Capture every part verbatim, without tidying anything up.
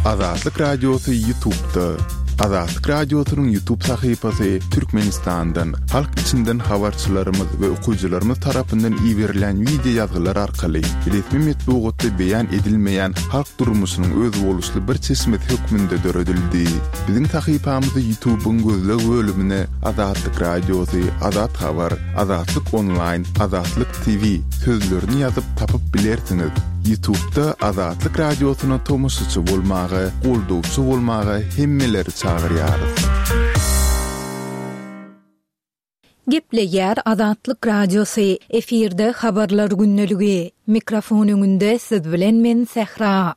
Azatlyk Radiosy YouTube'da. Azatlyk Radiosynyň YouTube sahypasy Türkmenistandan, halk içinden habarçylarymyz we okyjylarymyz tarapyndan iberilen wideo ýazgylar arkaly resmi metbugatda beýan edilmeýän halk durmuşynyň özboluşly bir çeşmesi hökmünde döredildi. Biziň sahypamyzy YouTube'yň gözleg bölümine Azatlyk Radiosy, Azat Habar, Azatlyk Online, Azatlyk T V sözlerini ýazyp tapyp bilersiňiz. YouTube'da Azatlyk Radiosyna tomaşaçy bolmaga, goldawçy bolmaga hemmeleri çagyrýarys. Gepleýär Azatlyk Radiosy. Efirde habarlar gündeligi. Mikrofon öňünde siz bilen men Sähra.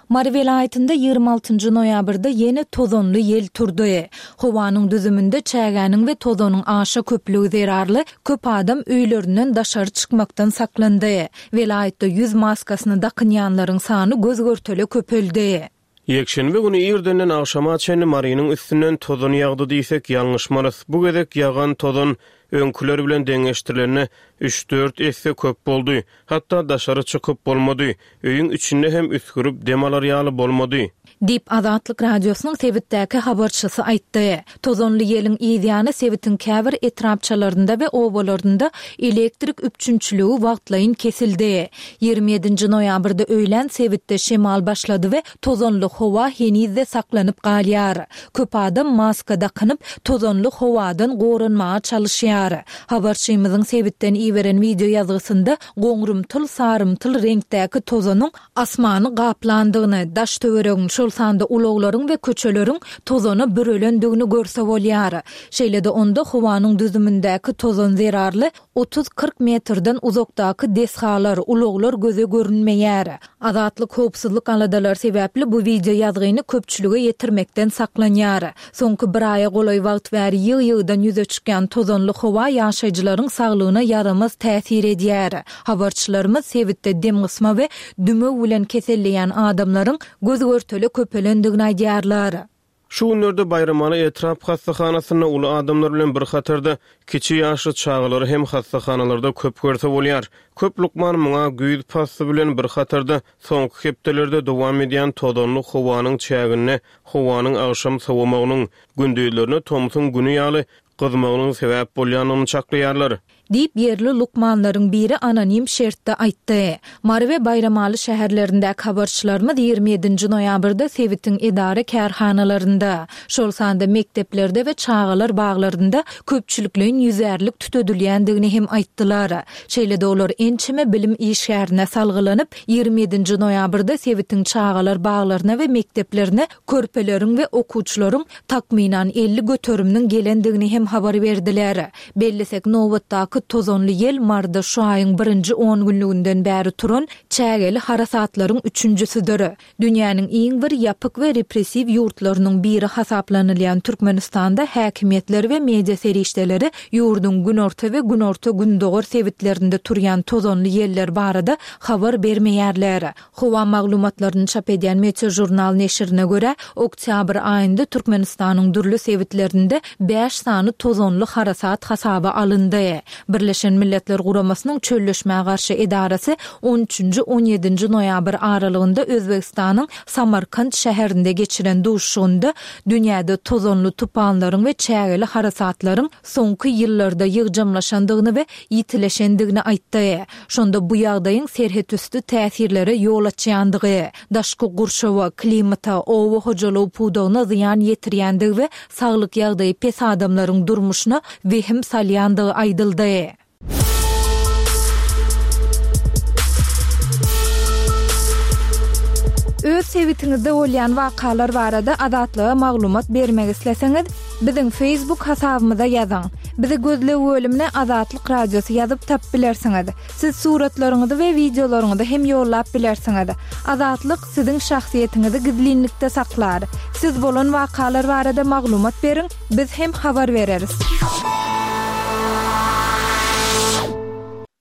Mary welaýatynda ýigrimi altynjy noýabrda ýene tozanly ýel turdy. Howanyň düzüminde çägäniň we tozanyň aşa köplügi zerarly köp adam öýlerinden daşary çykmakdan saklandy. Welaýatda ýüz maskasyny dakynýanlaryň sany göz-görtele köpeldi. Ýekşenbe güni irdenden agşama çenli Marynyň üstünden tozan ýagdy diýsek ýalňyşmarys. Bu gezek ýagan tozan öňküler bilen deňeşdirilende üç-dört esse köp boldy. Hatda daşary çykyp bolmady. Öýüň içinde hem üsgürip dem alar ýaly bolmady. Diýip, Azatlyk Radiosynyň sebitdäki habarçysy aýtdy. Tozanly ýeliň yzýany sebitiň käbir etrapçalarynda we obalarynda elektrik üpjünçiligi wagtlaýyn kesildi. Ýigrimi ýedinji noýabrda öýlän sebitde şemal başlady we tozanly howa heniz-de saklanyp galýar. Köp adam maska dakynyp, tozanly howadan goranmaga çalyşýar. Habarçymyzyň sebitden iberen wideo ýazgysynda goňrumtyl-sarymtyl reňkdäki tozanyň asmany gaplandygyny, daş-töweregiň, şol sanda ulaglaryň we köçeleriň tozana bürelendigini görse bolýar. Şeýle-de onda howanyň düzümindäki tozan zerarly otuz-kyrk metrden uzakdaky desgalar, ulaglar göze görünmeýär. Azatlyk howpsuzlyk aladalary sebäpli bu wideo ýazgyny köpçülige ýetirmekden saklanýar. Soňky bir aýa golaý wagt bäri ýygy-ýygydan ýüze çykýan tozanly howa ýaşaýjylaryň saglygyna ýaramaz täsir edýär. Habarçylarymyz sebitde demgysma we dümew bilen keselleýän adamlaryň göz-görtele köpelendigini aýdýarlar. Şu günlerde Baýramaly etrap hassahanasynda uly adamlar bilen bir hatarda kiçi ýaşly çagalary hem hassahanalarda köp görse bolýar. Köp lukman muňa güýz pasly bilen bir hatarda soňky hepdelerde dowam edýän tozanly howanyň çäginde howanyň agşam sowamagynyň, gündizlerine tomsuň güni ýaly gyzmagynyň sebäp bolýandygyny çaklaýarlar. Diýip, ýerli lukmanlaryň biri anonim şertde aýtdy. Mary we Baýramaly şäherlerindäki habarçylarymyz ýigrimi ýedinji noýabrda sebitiň edara-kärhanalarynda, şol sanda mekdeplerde we çagalar baglarynda köpçülikleýin ýüzärlik tütedilýändigini hem aýtdylar. Şeýle-de olar ençeme bilim işgärine salgylanyp, ýigrimi ýedinji noýabrda sebitiň çagalar baglaryna we mekdeplerine körpeleriň we okuwçylaryň takmynan elli göteriminiň gelendigini hem habar berdiler. Bellesek, nobatdaky tozanly ýel Maryda şu aýyň birinji on günlüginden bäri turan çägeli harasatlaryň üçünjisidir. Dünýäniň iň bir ýapyk we repressiw ýurtlarynyň biri hasaplanylýan Türkmenistanda häkimiýetler we media serişdeleri ýurduň günorta we günorta-gündogar sebitlerinde turýan tozanly ýeller barada habar bermeýärler. Howa maglumatlaryny çap edýän Meteojurnal neşirine görä, oktýabr aýynda Türkmenistanyň dürli sebitlerinde bäş sany tozanly harasat hasaba alyndy. Birleşen Milletler Guramasynyň Çölleşmä garşy edarasy on üçünji on ýedinji noýabr aralygynda Özbegistanyň Samarkant şäherinde geçiren duşuşygynda dünýäde tozanly tupanlaryň we çägeli harasatlaryň soňky ýyllarda ýygjamlaşandygyny we ýitileşendigini aýtdy. Şonda bu ýagdaýyň serhetüsti täsirlere ýol açýandygy, daşky gurşawa, klimata, oba hojalygy pudagyna zyýan ýetirýändigi we saglyk ýagdaýy pes adamlaryň durmuşyna wehim salýandygy aýdyldy. Öz sebitiňizde bolýan wakalar barada Azatlyga maglumat bermek isleseňiz, biziň Facebook hasabymyza ýazyň. Bizi gözleg bölümine Azatlyk Radiosy ýazyp tapyp bilersiňiz. Siz suratlaryňyzy we wideolaryňyzy hem ýollap bilersiňiz. Azatlyk siziň şahsyýetiňizi gizlinlikde saklar. Siz bolan wakalar barada maglumat beriň, biz hem habar bereris.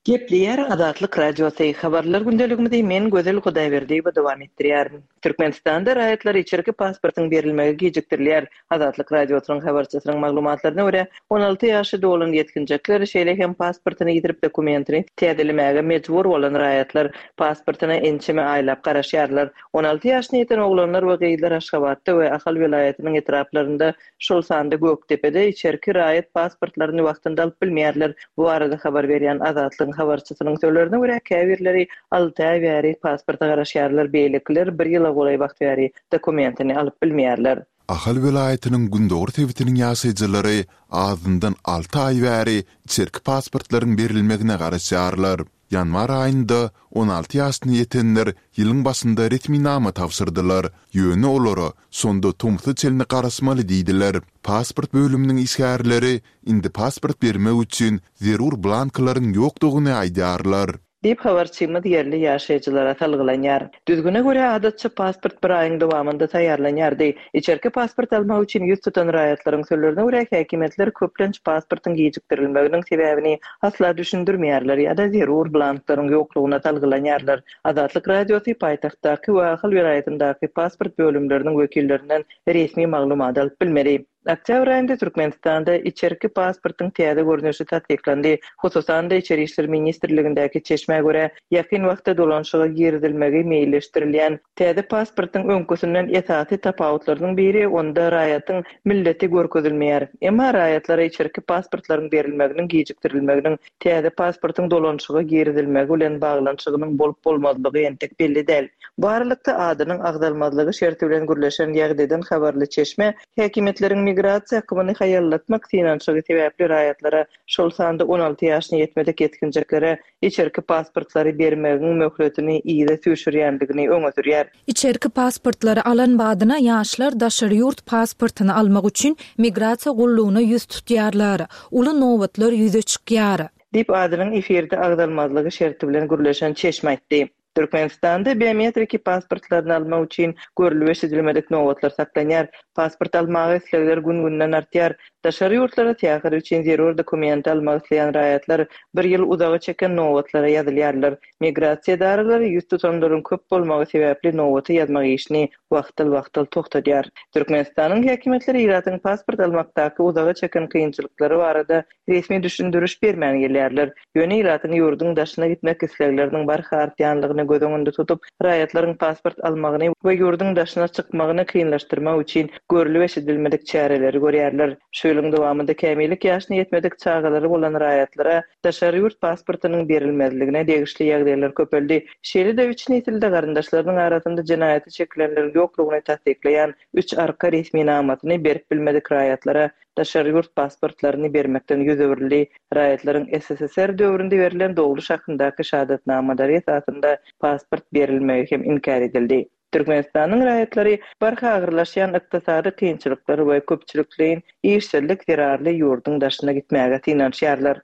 Gepleýär Azatlyk Radiosy. Habarlar gündeligimizi men Gözel Hudaýberdiýewa dowam etdirýärin. Türkmenistanda raýatlara içerki pasportyň berilmegi gijikdirilýär. Azatlyk Radiosynyň habarçysynyň maglumatlaryna görä, on alty ýaşy dolan ýetginjekler, şeýle hem pasportyny ýitirip dokumentini täzelemäge mejbur bolan raýatlar pasportyna ençeme aýlap garaşýarlar. On alty ýaşyna ýeten oglanlar we gyzlar Aşgabatda we Ahal welaýatynyň etraplarynda, şol sanda Gökdepede içerki raýat pasportlaryny wagtynda alyp bilmeýärler. Bu barada habar berýän Azatlygyň habarçysynyň sözlerine görä, käbirleri alty aý bäri pasporta garaşýarlar, beýlekiler bir ýyla golaý wagt bäri dokumentini alyp bilmeýärler. Ahal welaýatynyň gündogar sebitiniň ýaşaýjylary azyndan alty aý bäri içerki pasportlaryň berilmegine garaşýarlar. Ýanwar aýynda on alty ýaşyna ýetenler ýylyň başynda resminama tabşyrdylar. Ýöne olara şonda tomsa çenli garaşmaly diýdiler. Pasport bölüminiň işgärleri indi pasport bermek üçin zerur blanklaryň ýokdugyny aýdýarlar. Diýip habarçymyz ýerli ýaşaýjylara salgylanýar. Düzgüne görä adatça pasport bir aýyň dowamynda taýýarlanýardy. Içerki pasport almak üçin ýüz tutan raýatlaryň sözlerine görä häkimiýetler köplenç pasportyň gijikdirilmeginiň sebäbini asla düşündirmeýärler ýa-da zerur blanklaryň ýoklugyna salgylanýarlar. Azatlyk Radiosy paýtagtdaky we Ahal welaýatyndaky pasport bölümleriniň wekillerinden resmi maglumat alyp bilmedi. Oktýabr aýynda Türkmenistanda içerki pasportyň täze görnüşi tassyklandy. Hususan-da Içeri işler ministrligindäki çeşmä görä, ýakyn wagtda dolanşyga girizilmegi meýilleşdirilýän täze pasportyň öňküsinden esasy tapawutlarynyň biri onda raýatyň milleti görkezilmeýär. Emma raýatlara içerki pasportlaryň berilmeginiň gijikdirilmeginiň täze pasportyň dolanşyga girizilmegi bilen baglanyşygynyň bolup bolmazlygy entek belli däl. Bu aralykda adynyň agzalmazlygy şerti bilen gürleşen ýagdaýdan habarly çeşme häkimiýetleriň migrasiýa akymyny haýallatmak synanyşygy sebäpli raýatlara, şol sanda on alty ýaşyna ýetmedik ýetginjeklere içerki pasportlary bermegiň möhletini yza süýşürýändigini öňe sürýär. Içerki pasportlary alan badyna ýaşlar daşary ýurt pasportyny almak üçin migrasiýa gullugyna ýüz tutýarlar. Uly nobatlar ýüze çykýar. Diýip adynyň efirde agzalmazlygy şerti bilen gürleşen çeşme aýtdy. Türkmenistanda biometriki pasportlaryny almak üçin görülip eşidilmedik nobatlar saklanýar. Pasport almaga islegler gün-günden artýar. Daşary ýurtlara syýahat üçin zerur dokumenti almak isleýän raýatlar bir ýyl uzaga çeken nobatlara ýazylýarlar. Migrasiýa edaralary ýüz tutanlaryň köp bolmagy sebäpli nobaty ýazmak işini wagtal-wagtal toxtadýar. Türkmenistanyň häkimiýetleri ilatyň pasport almakdaky uzaga çeken kynçylyklary barada resmi düşündiriş bermän gelýärler. Ýöne ilatyň ýurduň daşyna gitmek islegleriniň barha artýanlygyny göz öňünde tutup, raýatlaryň pasport almagyny we ýurduň daşyna çykmagyny kynlaşdyrmak üçin görülip eşidilmedik çäreleri görýärler. Şu ýylyň dowamynda kämillik ýaşyna ýetmedik çagalary bolan raýatlara daşary ýurt pasportynyň berilmezligine degişli ýagdaýlar köpeldi. Şeýle-de üç nesilde garyndaşlarynyň arasynda jenaýaty çekilenleriň ýoklugyny tassyklaýan üç arka resminamasyny berip bilmedik raýatlara daşary ýurt pasportlaryny bermekden ýüz öwrüldi. Raýatlaryň S S S R döwründe berlen dogluş hakyndaky şahadatnamalary esasynda pasport berilmegi hem inkär edildi. Türkmenistanyň raýatlary barha agyrlaşýan ykdysady kynçylyklar we köpçülikleýin işsizlik zerarly ýurduň daşyna gitmäge synanyşýarlar.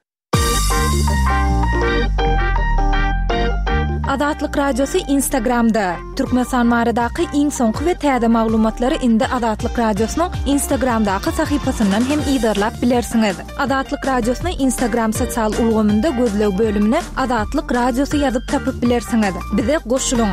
Azatlyk Radiosy Instagramda. Türkmenistan baradaky iň soňky we täze maglumatlary indi Azatlyk Radiosynyň Instagramdaky sahypasyndan hem yzarlap bilersiňiz. Azatlyk Radiosyny Instagram sosial ulgamynda gözleg bölümine Azatlyk Radiosy ýazyp tapyp bilersiňiz. Bize goşulyň.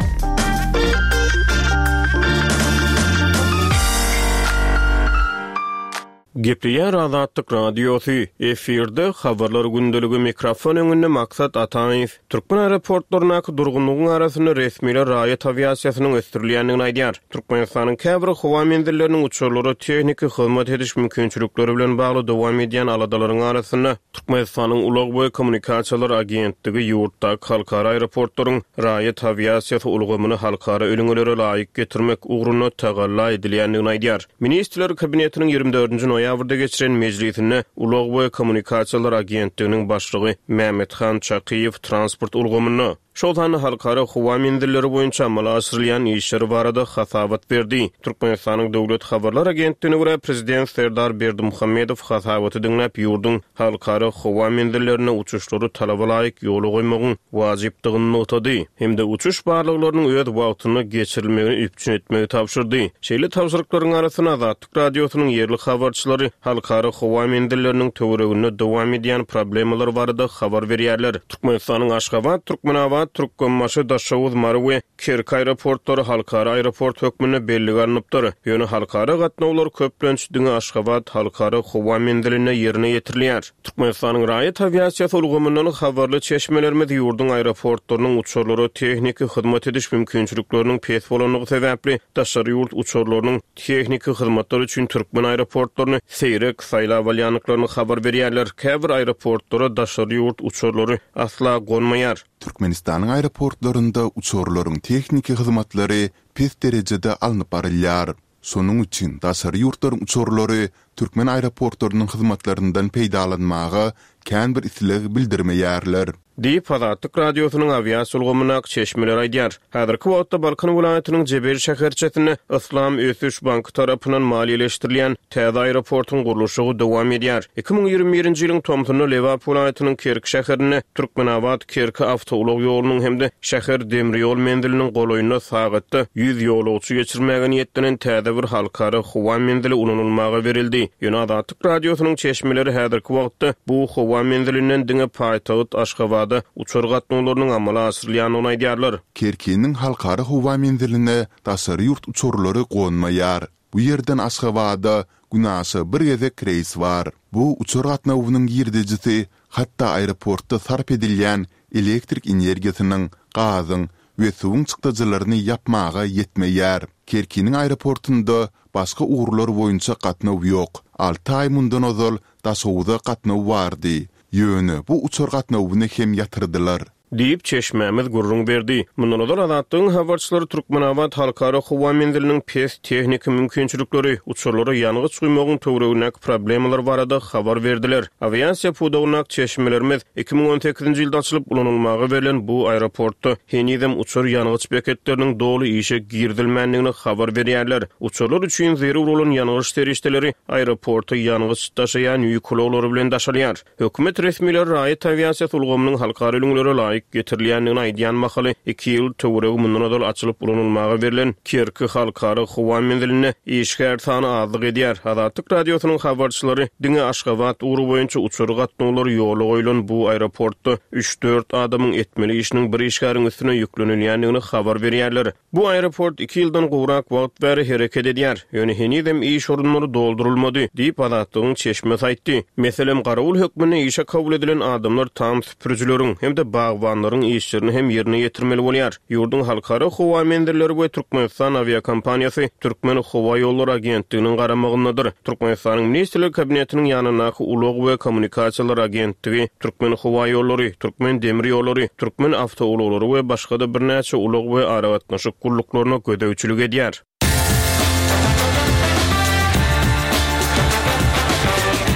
Gepleýär Azatlyk Radiosy, efirde habarlar gündeligi mikrofon öňünde Maksat Ataýew. Türkmen aeroportlaryndaky durgunlygyň arasynda resmiler raýat awiasiýasynyň ösdürilýändigini aýdýar. Türkmenistanyň käbir howa menzilleriniň uçarlara tehniki hyzmat ediş mümkinçilikleri bilen bagly dowam edýän aladalaryň arasynda Türkmenistanyň Ulag we kommunikasiýalar agentligi ýurtdaky halkara aeroportlaryň raýat awiasiýasy ulgamyny halkara ülňülere laýyk getirmek ugrunda tagalla edilýändigini aýdýar. Ministrler kabinetiniň ýigrimi dördünji noýabrda geçiren mejlisinde Ulag we kommunikasiýalar agentliginiň başlygy Mehmethan Çakyýew transport ulgamynda şol sanda halkara howa menzilleri boýunça amala aşyrylýan işleri barada hasabat berdi. Türkmenistanyň Döwlet habarlar agentligine görä prezident Serdar Berdimuhamedow hasabaty diňläp ýurduň halkara howa menzillerine uçuşlary talaba laýyk ýola goýmagyň wajypdygyny nygtady hem-de uçuş barlyklarynyň öz wagtynda geçirilmegini üpjün etmegi tabşyrdy. Şeýle tabşyryklaryň arasynda Azatlyk Radiosynyň ýerli habarçylary halkara howa menzilleriniň töwereginde dowam edýän problemalar barada habar berýärler. Türkmenistanyň Aşgabat, Türkmenabat Aşgabat, Türkmenbaşy, Daşoguz, Mary we Kerki aeroportlary halkara aeroport hökmünde bellige alnypdyr. Ýöne halkara gatnawlar köplenç diňe Aşgabat halkara howa menzilinde ýerine ýetirilýär. Türkmenistanyň raýat awiasiýasy ulgamyndan habarly çeşmelerimiz ýurduň aeroportlarynyň uçarlara tehniki hyzmat ediş mümkinçilikleriniň pes bolandygy sebäpli daşary ýurt uçarlarynyň tehniki hyzmatlar üçin türkmen aeroportlaryny seýrek saýlap alýandyklaryny habar berýärler. Käbir aeroportlara daşary ýurt uçarlary asla gonmaýar. Türkmenistanyň aeroportlarynda uçarlaryň tehniki hyzmatlary pes derejede alnyp barylýar. Şonuň üçin daşary ýurtlaryň uçarlary türkmen aeroportlarynyň hyzmatlaryndan peýdalanmaga kän bir isleg bildirmeýärler. Diýip, Azatlyk Radiosynyň awiasiýa ulgamyndaky çeşmeler aýdýar. Häzirki wagtda Balkan welaýatynyň Jebel şäherçesinde Yslam ösüş banky tarapyndan maliýeleşdirilýän täze aeroportuň gurluşygy dowam edýär. Iki müň ýigrimi birinji ýylyň tomsunda Lebap welaýatynyň Kerki şäherinde Türkmenabat Kerki awtoulag ýolunyň hem-de şäher demir ýol menziliniň golaýynda sagatda ýüz ýolagçy geçirmäge niýetlenen täze bir halkara howa menzili ulanylmaga berildi. Ýöne Azatlyk Radiosynyň çeşmeleri häzirki wagtda bu howa menzilinden diňe paýtagt Aşgabada uçar gatnawlarynyň amala aşyrylýandygyny aýdýarlar. Kerkiniň halkara howa menziline daşary ýurt uçarlary gonmaýar. Bu ýerden Aşgabada günaşa bir gezek reýs bar. Bu uçar gatnawynyň girdejisi hatda aeroportda sarp edilýän elektrik energiýasynyň, gazyň we suwuň çykdajylaryny ýapmaga ýetmeýär. Kerkiniň aeroportunda başga ugurlar boýunça gatnaw ýok. Alty aý mundan ozal Daşoguza gatnaw bardy. Ýöne bu uçar gatnawyny hem ýatyrdylar. Diýip, çeşmämiz gürrüň berdi. Mundan ozal Azatlygyň habarçylary Türkmenabat halkara howa menziliniň pes tehniki mümkinçilikleri, uçarlara ýangyç guýmagyň töweregindäki problemalar barada habar berdiler. Awiasiýa pudagyndaky çeşmelerimiz iki müň on sekizinji ýylda açylyp ulanylmaga berlen bu aeroportda henizem uçar ýangyç beketleriniň doly işe girizilmändigini habar berýärler. Uçarlar üçin zerur bolan ýangyç serişdeleri aeroporta ýangyç daşaýan ýük ulaglary bilen daşalýar. Hökümet resmileri raýat awiasiýasy ulgamynyň halkara ülňülere laýyk getirilýändigini aýdýan mahaly iki ýyl töweregi mundan ozal açylyp ulanylmaga berlen Kerki halkara howa menzilinde işgär sany azlyk edýär. Azatlyk Radiosynyň habarçylary diňe Aşgabat ugry boýunça uçar gatnawlary ýola goýlan bu aeroportda üç-dört adamyň etmeli işiniň bir işgäriň üstüne ýüklenilýändigini habar berýärler. Bu aeroport iki ýyldan gowrak wagt bäri hereket edýär. Ýöne henizem iş orunlary doldurylmady diýip Azatlygyň çeşmesi aýtdy. Meselem, garawul hökmünde işe kabul edilen adamlar tam süpürjileriň hem-de bagbanlaryň işlerini hem ýerine ýetirmeli bolýar. Ýurduň halkara howa menzilleri we Türkmenistan awiakompaniýasy Türkmen howa ýollary agentliginiň garamagyndadyr. Türkmenistanyň Ministrler Kabinetiniň ýanyndaky Ulag we kommunikasiýalar agentligi Türkmen howa ýollary, Türkmen demir ýollary, Türkmen awtoulaglary we başga-da birnäçe ulag we aragatnaşyk gulluklaryna gözegçilik edýär.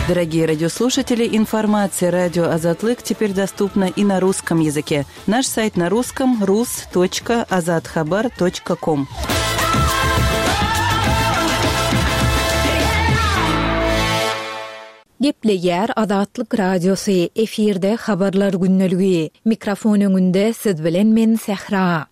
Дорогие радиослушатели, информация радио Азатлык теперь доступна и на русском языке. Наш сайт на русском рус точка азатхабар точка ком. Gepleýär Azatlyk Radiosy, efirde habarlar günlügi. Mikrofon öňünde siz bilen men Sähra.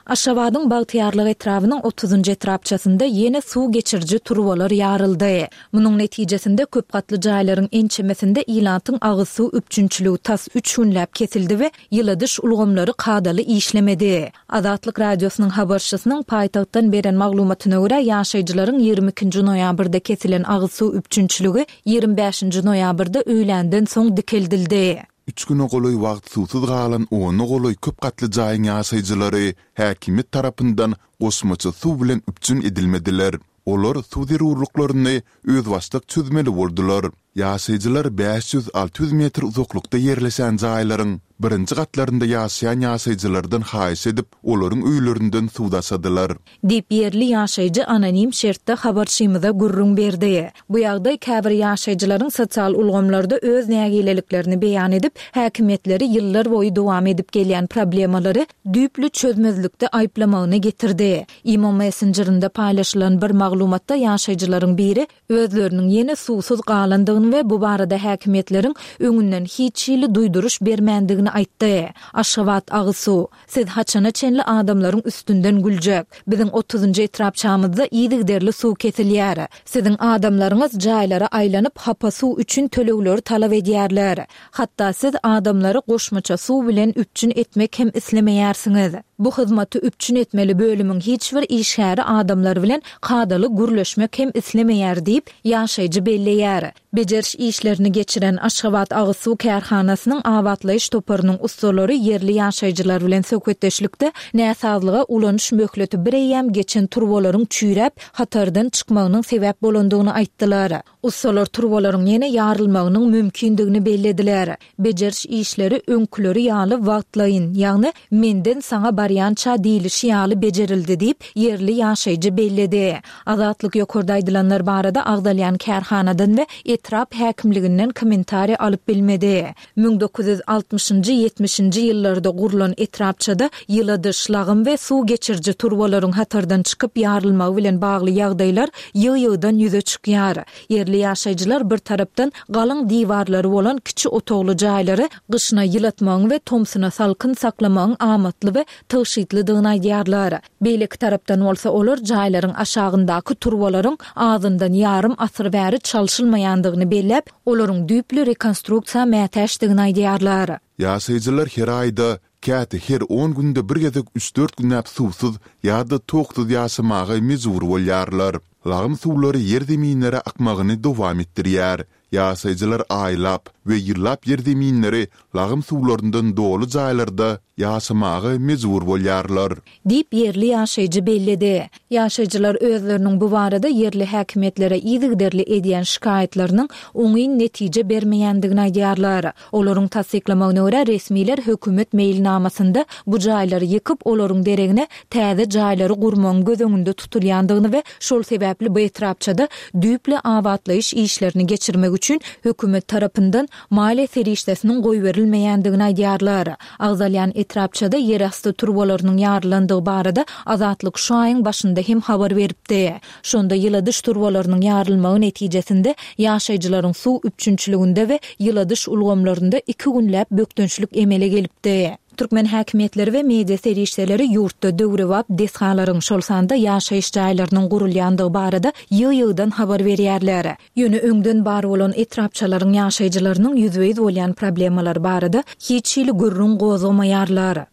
Aşgabadyň Bagtyýarlyk etrabynyň otuzynjy etrapçasynda ýene suw geçiriji turbalar ýaryldy. Munuň netijesinde köp gatly jaýlaryň ençemesinde ilatyň agyz suw üpjünçiligi tas üç günläp kesildi we ýyladyş ulgamlary kadaly işlemedi. Azatlyk Radiosynyň habarçysynyň paýtagtdan beren maglumatyna görä, ýaşaýjylaryň ýigrimi ikinji noýabrda kesilen agyz suw üpjünçiligi ýigrimi bäşinji noýabrda öýländen soň dikeldildi. Üç güne golaý wagt suwsuz galan ona golaý köp gatly jaýyň ýaşaýjylary häkimiýet tarapyndan goşmaça suw bilen üpjün edilmediler. Olar suw zerurlyklaryny özbaşdak çözmeli boldular. Ýaşaýjylar bäş ýüz alty ýüz metr uzaklykda ýerleşen jaýlaryň birinji gatlarynda ýaşaýan ýaşaýjylardan haýyş edip, olaryň öýlerinden suw daşadylar. Diýip ýerli ýaşaýjy anonim şertde habarçymyza gürrüň berdi. Bu ýagdaý käbir ýaşaýjylaryň sosial ulgamlarda öz nägileliklerini beýan edip, häkimiýetleri ýyllar boýy dowam edip gelýän problemalary düýpli çözmezlikde aýyplamagyny getirdi. Imo Messengerinde paýlaşylan bir maglumatda ýaşaýjylaryň biri özleriniň ýene suwsuz galandygyny garaşandygyny we bu barada häkimiýetleriň öňünden hiç hili duýduryş bermändigini aýtdy. Aşgabat agyz suw, siz haçana çenli adamlaryň üstünden güljek? Biziň otuzynjy etrapçamyzda yzygiderli suw kesilýär. Siziň adamlaryňyz jaýlara aýlanyp, hapa suw üçin tölegleri talap edýärler. Hatda siz adamlary goşmaça suw bilen üpjün etmek hem islemeýärsiňiz. Bu hyzmaty üpjün etmeli bölümiň hiç bir işgäri adamlar bilen kadaly gürleşmek hem islemeýär diýip, ýaşaýjy belleýär. Bejeriş işlerini geçiren Aşgabat agyz suw kärhanasynyň abatlaýyş toparynyň ussalary ýerli ýaşaýjylar bilen söhbetdeşlikde näsazlyga ulanyş möhleti bir eýýäm geçen turbalaryň çüýräp, hatardan çykmagynyň sebäp bolandygyny aýtdylar. Ussalar turbalaryň ýene ýarylmagynyň mümkindigini bellediler. Bejeriş işleri öňküleri ýaly wagtlaýyn, ýagny menden saňa barýança diýlişi ýaly bejerildi diýip, ýerli ýaşaýjy belledi. Azatlyk ýokarda aýdylanlar barada agzalýan kärhanadan we etrap häkimliginden kommentariý alyp bilmedi. Müň dokuz ýüz altmyşynjy, ýetmişinji ýyllarda gurlan etrapçada ýyladyş, lagym we suw geçiriji turbalaryň hatardan çykyp ýarylmagy bilen bagly ýagdaýlar ýygy-ýygydan ýüze çykýar. Ýerli ýaşaýjylar bir tarapdan galyň diwarlary bolan kiçi otagly jaýlary gyşyna ýylatmagyň we tomsuna salkyn saklamagyň amatly we tygşytlydygyny aýdýarlar. Beýleki tarapdan bolsa olar jaýlaryň aşagyndaky turbalaryň azyndan ýarym asyr bäri çalşylmaýandygyny belläp, olaryň düýpli rekonstruksiýa mätäçdigini aýdýarlar. Ýaşaýjylar her aýda, käte her on günde bir gezek üç-dört günläp suwsuz ýa-da toksuz ýaşamaga mejbur bolýarlar. Lagym suwlary ýer-zeminlere akmagyny dowam etdirýär. Ýaşaýjylar aýlap we ýyllap ýer-zeminleri lagym suwlaryndan doly jaýlarda ýaşamaga mejbur bolýarlar. Diýip ýerli ýaşaýjy belledi. Ýaşaýjylar özleriniň bu barada ýerli häkimiýetlere yzygiderli edýän şikaýatlarynyň oňyn netije bermeýändigini aýdýarlar. Olaryň tassyklamagyna görä resmiler hökümet meýilnamasynda bu jaýlary ýykyp, olaryň deregine täze jaýlary gurmagyň göz öňünde tutulýandygyny we şol sebäpli bu etrapçada düýpli abatlaýyş işlerini geçirmek üçin hökümet tarapyndan maliýe serişdesiniň goýberilmeýändigini aýdýarlar. Agzalýan etrapçada ýerasty turbalarynyň ýarylandygy barada Azatlyk şu aýyň başynda hem habar beripdi. Şonda ýyladyş turbalarynyň ýarylmagy netijesinde ýaşaýjylaryň suw üpjünçiliginde we ýyladyş ulgamlarynda iki günläp bökdençlik emele gelipdi. Türkmen häkimiýetleri we media serişdeleri ýurtda döwrebap desgalaryň, şol sanda ýaşaýyş jaýlarynyň gurulýandygy barada ýygy-ýygydan habar berýärler. Ýöne öňden bar bolan etrapçalaryň ýaşaýjylarynyň ýüzbe-ýüz bolýan problemalar barada hiç hili gürrüň gozgamaýarlar.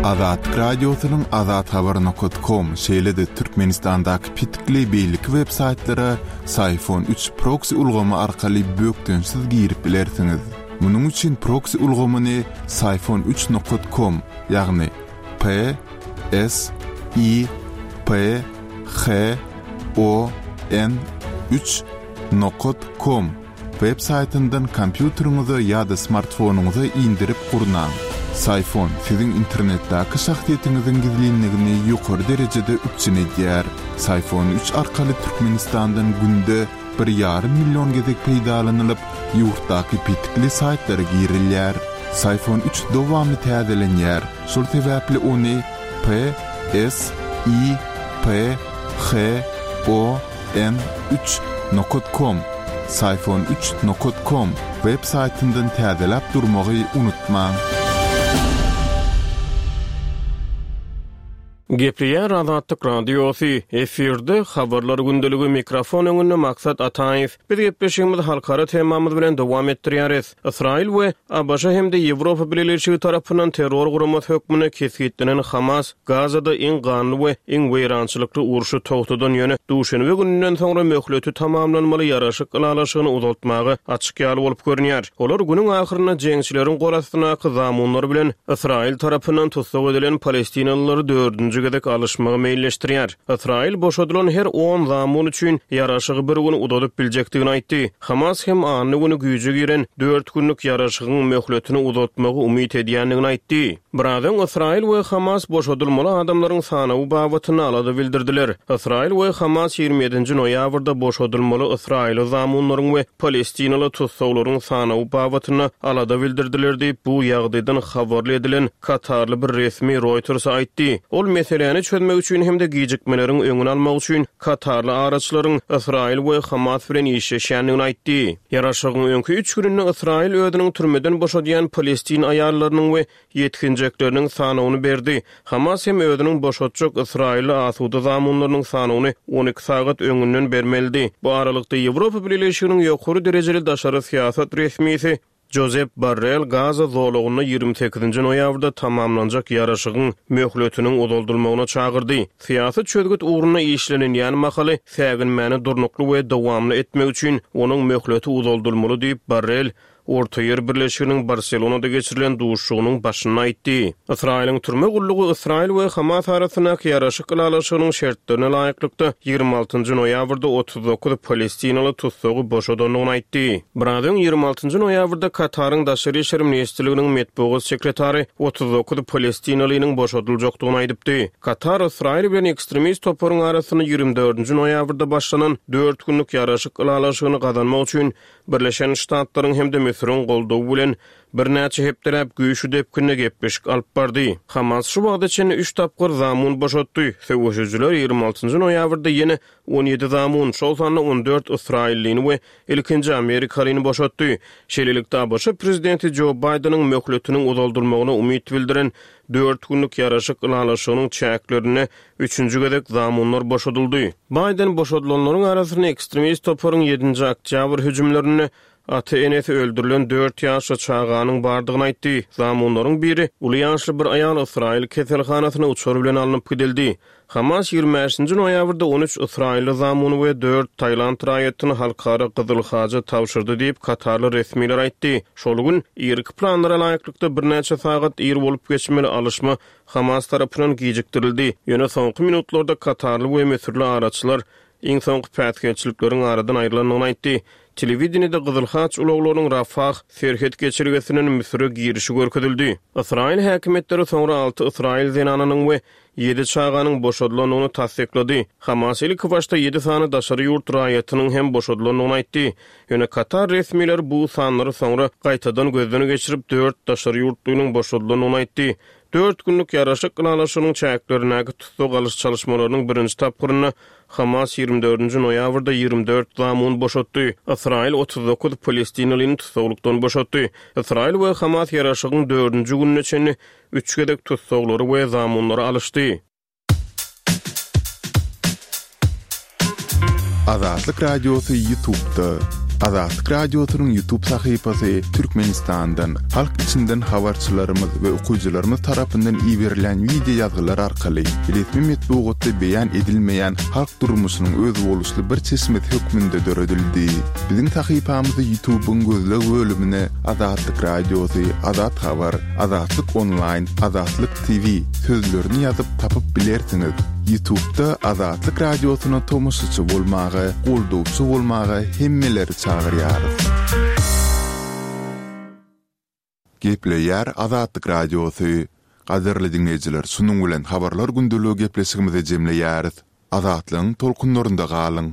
Azatlyk Radiosynyň azathabar nokta com, şeýle-de Türkmenistandaky petikli beýleki web-saýtlara Syfon üç proksi ulgamy arkaly bökdençsiz girip bilersiňiz. Munuň üçin proksi ulgamyny Syfon üç nokta com, ýagny P S I P H O N üç nokta com web saýtyndan kompýuteriňize ýa-da smartfonyňyza indirip gurnaň. Syfon siziň internetdäki şahsyýetiňiziň gizlinligini ýokary derejede üpjün edýär. Syfon üç arkaly Türkmenistandan günde bir ýarym million gezek peýdalanylyp, ýurtdaky petikli saýtlara girilýär. Syfon üç dowamly täzelenýär. Şol sebäpli ony P S I P H O N üç nokta com, Syfon üç nokta com web saýtyndan täzeläp durmagy unutmaň. Gepleýär Azatlyk Radiosy, efirde habarlar gündeligi, mikrofon öňünde Maksat Ataýew. Biz gepleşigimizi halkara temamyz bilen dowam etdirýäris. Ysraýyl we A B Ş hem-de Ýewropa Bileleşigi tarapyndan terror guramasy hökmünde kesgitlenen Hamas Gazada iň ganly we iň weýrançylykly urşy togtadan ýöne duşenbe gününden soňra möhleti tamamlanmaly ýaraşyk ylalaşygyny uzaltmaga açyk ýaly bolup görünýär. Olar günüň ahyrynda jeňçileriň gol astyndaky zamunlar bilen Ysraýyl tarapyndan tussag edilen palestinalylary dördünji gezek alyşmagy meýilleşdirýär. Ysraýyl boşadylan her on zamun üçin ýaraşygy bir gün uzadyp biljekdigini aýtdy. Hamas hem anly güni güýje giren dört günlük ýaraşygyň möhletini uzatmagy umyt edýändigini aýtdy. Biraz öň Ysraýyl we Hamas boşadylmaly adamlaryň sanawy babatynda alada bildirdiler. Ysraýyl we Hamas ýigrimi ýedinji noýabrda boşadylmaly Ysraýyly zamunlaryň we Palestinaly tussaglaryň sanawy babatynda alada bildirdiler diýip, bu ýagdaýdan habarly edilen Katarly bir resmi Reuters aýtdy. Ol Meseläni çözmek üçin hem-de gijikmeleriň öňüni almak üçin katarly araçylaryň Ysraýyl we Hamas bilen işleşýändigini aýtdy. Ýaraşygyň öňki üç gününde Ysraýyl özüniň türmeden boşadýan palestin aýallarynyň we ýetginjekleriniň sanawyny berdi. Hamas hem özüniň boşatjak ysraýylly asuda zamunlarynyň sanawyny on iki sagat öňünden bermelidi. Bu aralykda Ýewropa Bileleşiginiň ýokary derejeli daşary syýasat resmisi Josep Borrell Gaza zolagynda ýigrimi sekizinji noýabrda tamamlanjak ýaraşygyň möhletiniň uzaldylmagyna çagyrdy. Syýasy çözgüt ugrunda işlenilýän mahaly säginmäni durnukly we dowamly etmek üçin onuň möhleti uzaldylmaly diýip, Borrell Ortaýer Birleşiginiň Barselonada geçirilen duşuşygynyň başynda aýtdy. Ysraýylyň türme gullugy Ysraýyl we Hamas arasyndaky ýaraşyk ylalaşygynyň şertlerine laýyklykda ýigrimi altynjy noýabrda otuz dokuz palestinaly tussagy boşadandygyny aýtdy. Biraz öň ýigrimi altynjy noýabrda Kataryň Daşary işler ministrliginiň metbugat sekretary otuz dokuz palestinalynyň boşadyljakdygyny aýdypdy. Katar Ysraýyl bilen ekstremist toparyň arasynda ýigrimi dördünji noýabrda başlanan dört günlük ýaraşyk ylalaşygyny gazanmak üçin Birleşen Ştatlaryň hem-de Müsüriň goldawy bilen birnäçe hepdeläp güýçli depginde gepleşik alyp bardy. Hamas şu wagta çenli üç tapgyr zamun boşatdy. Söweşijiler ýigrimi altynjy noýabrda ýene on ýedi zamun, şol sanda on dört ysraýyllyny we ilkinji amerikalyny boşatdy. Şeýlelikde, A B Ş prezidenti Jo Baýdeniň möhletiniň uzaldylmagyna umyt bildiren dört günlük ýaraşyk ylalaşygynyň çäklerinde üçünji gezek zamunlar boşadyldy. Baýden boşadylanlaryň arasynda ekstremist toparyň ýedinji oktýabr hüjümlerinde ata-enesi öldürilen dört ýaşly çaganyň bardygyny aýtdy. Zamunlaryň biri uly ýaşly bir aýal Ysraýyl keselhanasyna uçar bilen alnyp gidildi. Hamas ýigrimi bäşinji noýabrda on üç ysraýylly zamuny we dört Tailand raýatyny halkara Gyzyl Haja tabşyrdy diýip, katarly resmiler aýtdy. Şol gün irki planlara laýyklykda birnäçe sagat ir bolup geçmeli alyşma Hamas tarapyndan gijikdirildi. Ýöne soňky minutlarda katarly we müsürli araçylar iň soňky päsgelçilikleriň aradan aýrylandygyny aýtdy. Telewideniýede Gyzyl Haç ulaglarynyň Rafah serhet geçelgesinden Müsüre girişi görkezildi. Ysraýyl häkimiýetleri soňra alty ysraýyl zenanynyň we ýedi çaganyň boşadylandygyny tassyklady. Hamas ilki başda ýedi sany daşary ýurt raýatynyň hem boşadylandygyny aýtdy. Ýöne Katar resmileri bu sanlary soňra gaýtadan gözden geçirip dört daşary ýurtlynyň boşadylandygyny aýtdy. Dört günlük ýaraşyk ylalaşygynyň çäklerindäki tussag alyş çalışmalarynyň birinji tapgyrynda Hamas ýigrimi dördünji noýabrda ýigrimi dört zamun boşatdy. Ysraýyl otuz dokuz palestinalyny tussaglykdan boşatdy. Ysraýyl we Hamas ýaraşygyň dördünji gününe çenli üç gezek tussaglary we zamunlary alyşdy. Azatlyk Radiosy YouTube'da. Azatlyk Radiosynyň YouTube sahypasy Türkmenistandan, halk içinden habarçylarymyz we okyjylarymyz tarapyndan iberilen video ýazgylar arkaly resmi metbugatda beýan edilmeýän halk durmuşynyň özboluşly bir çeşmesi hökmünde döredildi. Biziň sahypamyzy YouTube'yň gözleg bölümine Azatlyk Radiosy, Azat Habar, Azatlyk Online, Azatlyk T V sözlerini ýazyp tapyp bilersiňiz. YouTube'da Azatlyk Radiosyna tomaşaçy bolmaga, goldawçy bolmaga hemmeleri çagyrýarys. Gepleýär Azatlyk Radiosy. Gadyrly dinleýjiler, şunuň bilen habarlar gündeligi gepleşigimizi jemleýäris. Azatlygyň tolkunlarynda galyň.